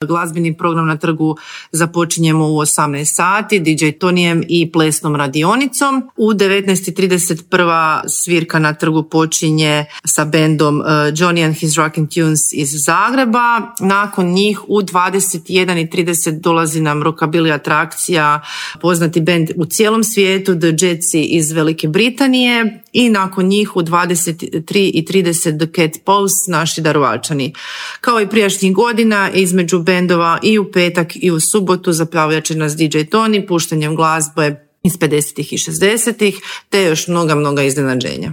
Glazbeni program na trgu započinjemo u 18 sati DJ Tonijem i plesnom radionicom. U 19:30 prva svirka na trgu počinje sa bendom Johnny and his Rockin' Tunes iz Zagreba. Nakon njih u 21:30 dolazi nam rockabilly atrakcija, poznati bend u cijelom svijetu, The Jetsi iz Velike Britanije, i nakon njih u 23:30 The Cat Pose, naši Daruvarčani. Kao i prijašnjih godina, između bendova i u petak i u subotu zaplavljat će nas DJ Toni puštanjem glazbe iz 50. i 60. te još mnoga iznenađenja.